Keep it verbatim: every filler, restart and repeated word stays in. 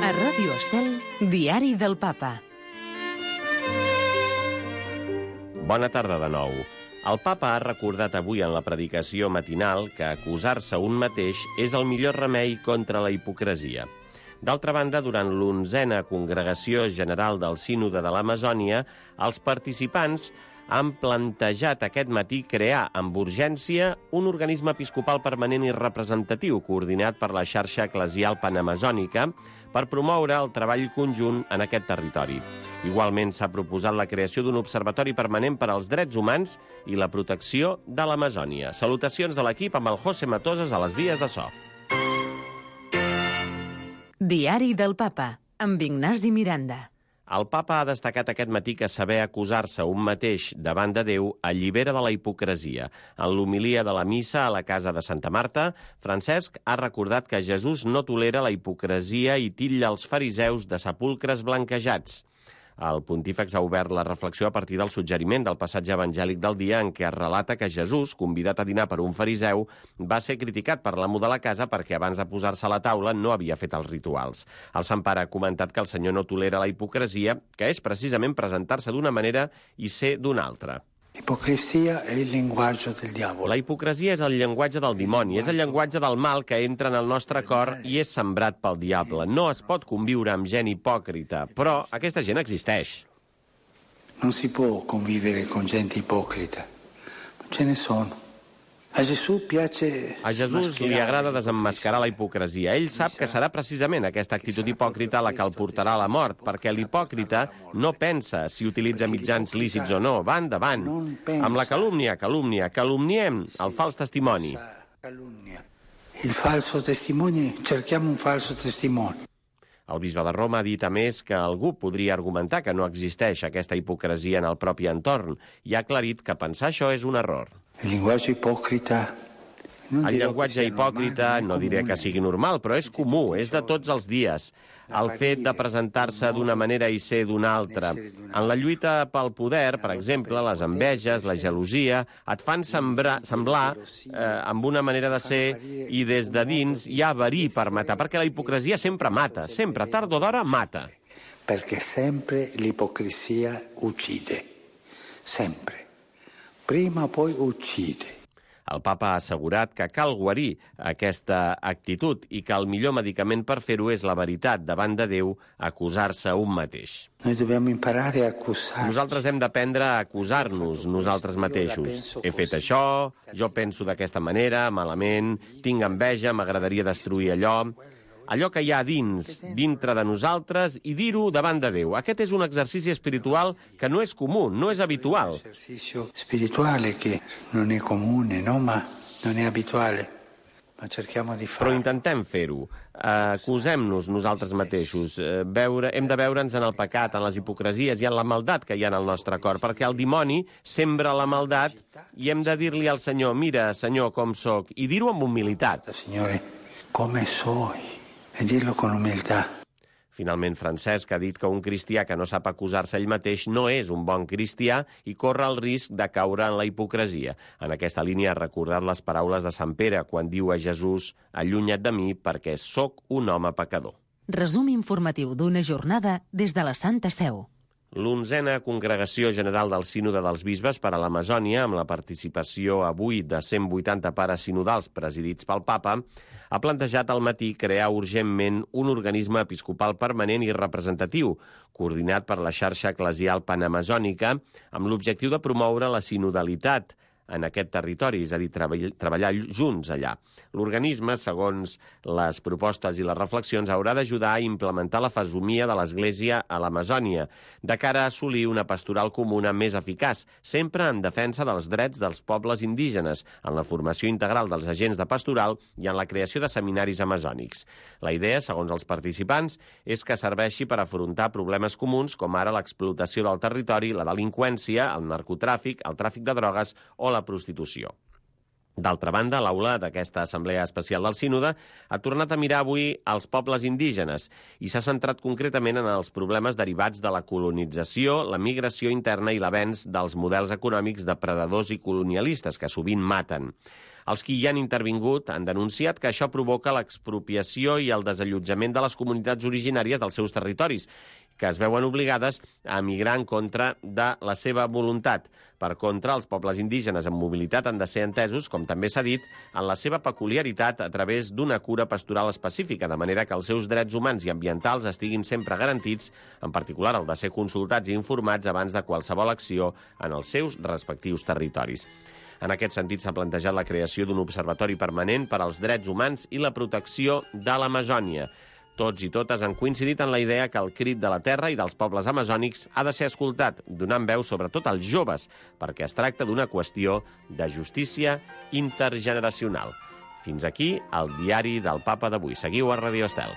A Ràdio Estel, Diari del Papa. Bona tarda de nou. El papa ha recordat avui en la predicació matinal que acusar-se un mateix és el millor remei contra la hipocresia. D'altra banda, durant l'onzena Congregació General del Sínode de l'Amazònia, els participants han plantejat aquest matí crear amb urgència un organisme episcopal permanent i representatiu coordinat per la xarxa eclesial panamazònica per promoure el treball conjunt en aquest territori. Igualment s'ha proposat la creació d'un observatori permanent per als drets humans i la protecció de l'Amazònia. Salutacions de l'equip amb el José Matoses a les vies de so. Diari del Papa, amb Ignasi Miranda. El papa ha destacat aquest matí que saber acusar-se un mateix davant de Déu allibera de la hipocresia. En l'homilia de la missa a la casa de Santa Marta, Francesc ha recordat que Jesús no tolera la hipocresia i titlla els fariseus de sepulcres blanquejats. El pontífex ha obert la reflexió a partir del suggeriment del passatge evangèlic del dia en què es relata que Jesús, convidat a dinar per un fariseu, va ser criticat per l'amo de la casa perquè abans de posar-se a la taula no havia fet els rituals. El Sant Pare ha comentat que el Senyor no tolera la hipocresia, que és precisament presentar-se d'una manera i ser d'una altra. L'ipocresia è il linguaggio del diavolo. La hipocresia és el llenguatge del dimoni, és el llenguatge del mal que entra en el nostre cor i és sembrat pel diable. No es pot conviure amb gent hipòcrita, però aquesta gent existeix. Non si può convivere con gente ipocrita, ma ce ne sono. A Jesús piace A Jesús li agrada desemmascarar la hipocresia. Ell sap que serà precisament aquesta actitud hipòcrita la que el portarà a la mort, perquè l'hipòcrita no pensa si utilitza mitjans lícits o no, va endavant. Amb la calúmnia, calúmnia, calumniem el fals testimoni. Il falso testimone, cerchiamo un falso testimone. El bisbe de Roma ha dit, a més, que algú podria argumentar que no existeix aquesta hipocresia en el propi entorn i ha aclarit que pensar això és un error. Il linguaggio ipocrita. El llenguatge hipòcrita no diré que sigui normal, però és comú, és de tots els dies. El fet de presentar-se d'una manera i ser d'una altra. En la lluita pel poder, per exemple, les enveges, la gelosia, et fan sembrar, semblar eh, amb una manera de ser i des de dins hi ha verí per matar, perquè la hipocresia sempre mata, sempre, tard o d'hora, mata. Perché sempre l'ipocrisia uccide, sempre. Prima o poi uccide. El papa ha assegurat que cal guarir aquesta actitud i que el millor medicament per fer-ho és la veritat davant de Déu, acusar-se un mateix. Noi dobbiamo imparare a accusarci. Nosaltres hem d'aprendre a acusar-nos nosaltres mateixos. He fet això, jo penso d'aquesta manera, malament, tinc enveja, m'agradaria destruir allò. Allò que hi ha dins, dintre de nosaltres, i dir-ho davant de Déu. Aquest és un exercici espiritual que no és comú, no és habitual. Un esercizio spirituale che non è comune, no? Ma non è abituale. Ma cerchiamo di Però farlo. intentem fer-ho. Acusem-nos nosaltres mateixos. Veure, hem de veure'ns en el pecat, en les hipocresies i en la maldat que hi ha en el nostre cor, perquè el dimoni sembra la maldat i hem de dir-li al Senyor, mira, Senyor, com sóc, i dir-ho amb humilitat. Signore, come soy? E dirlo con umiltà. Finalment, Francesc ha dit que un cristià que no sap acusar-se ell mateix no és un bon cristià i corre el risc de caure en la hipocresia. En aquesta línia ha recordat les paraules de Sant Pere quan diu a Jesús «Allunya't de mi perquè sóc un home pecador». Resum informatiu d'una jornada des de la Santa Seu. L'onzena Congregació General del Sínode dels Bisbes per a l'Amazònia, amb la participació avui de cent vuitanta pares sinodals presidits pel papa, ha plantejat al matí crear urgentment un organisme episcopal permanent i representatiu, coordinat per la xarxa eclesial panamazònica, amb l'objectiu de promoure la sinodalitat en aquest territori, és a dir, treballar junts allà. L'organisme, segons les propostes i les reflexions, haurà d'ajudar a implementar la fesomia de l'Església a l'Amazònia, de cara a assolir una pastoral comuna més eficaç, sempre en defensa dels drets dels pobles indígenes, en la formació integral dels agents de pastoral i en la creació de seminaris amazònics. La idea, segons els participants, és que serveixi per afrontar problemes comuns com ara l'explotació del territori, la delinqüència, el narcotràfic, el tràfic de drogues o la prostitució. D'altra banda, l'aula d'aquesta Assemblea Especial del Sínode ha tornat a mirar avui als pobles indígenes i s'ha centrat concretament en els problemes derivats de la colonització, la migració interna i l'avenç dels models econòmics depredadors i colonialistes que sovint maten. Els qui hi han intervingut han denunciat que això provoca l'expropiació i el desallotjament de les comunitats originàries dels seus territoris, que es veuen obligades a emigrar en contra de la seva voluntat. Per contra, els pobles indígenes amb mobilitat han de ser entesos, com també s'ha dit, en la seva peculiaritat a través d'una cura pastoral específica, de manera que els seus drets humans i ambientals estiguin sempre garantits, en particular el de ser consultats i informats abans de qualsevol acció en els seus respectius territoris. En aquest sentit, s'ha plantejat la creació d'un observatori permanent per als drets humans i la protecció de l'Amazònia. Tots i totes han coincidit en la idea que el crit de la terra i dels pobles amazònics ha de ser escoltat, donant veu sobretot als joves, perquè es tracta d'una qüestió de justícia intergeneracional. Fins aquí el diari del Papa d'avui. Seguiu a Radio Estel.